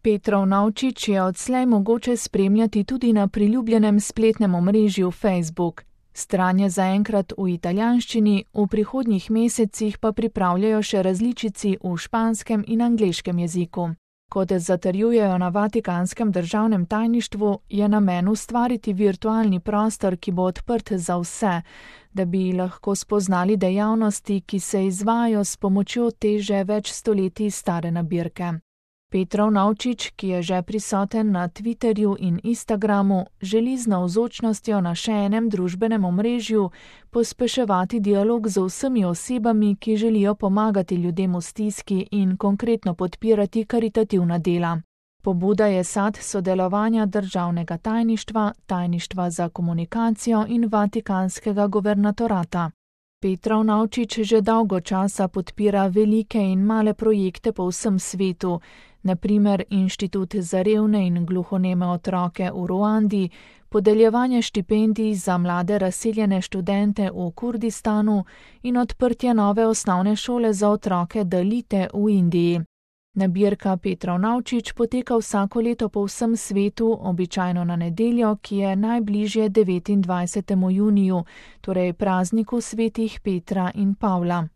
Petrov Navčič je odslej mogoče spremljati tudi na priljubljenem spletnem omrežju Facebook. Stran je zaenkrat v italijanščini, v prihodnjih mesecih pa pripravljajo še različici v španskem in angleškem jeziku. Kot zatrjujejo na Vatikanskem državnem tajništvu, je namen ustvariti virtualni prostor, ki bo odprt za vse, da bi lahko spoznali dejavnosti, ki se izvajajo s pomočjo te že več stoletij stare nabirke. Petrov Navčič, ki je že prisoten na Twitterju in Instagramu, želi z navzočnostjo na še enem družbenem omrežju pospeševati dialog z vsemi osebami, ki želijo pomagati ljudem v stiski in konkretno podpirati karitativna dela. Pobuda je sad sodelovanja državnega tajništva, tajništva za komunikacijo in Vatikanskega guvernatorata. Petrov Navčič že dolgo časa podpira velike in male projekte po vsem svetu, na primer Inštitut za revne in gluhoneme otroke v Ruandi, podeljevanje štipendij za mlade razseljene študente v Kurdistanu in odprtje nove osnovne šole za otroke Dalite v Indiji. Nabirka Petrov Navčič poteka vsako leto po vsem svetu, običajno na nedeljo, ki je najbližje 29. juniju, torej prazniku svetih Petra in Pavla.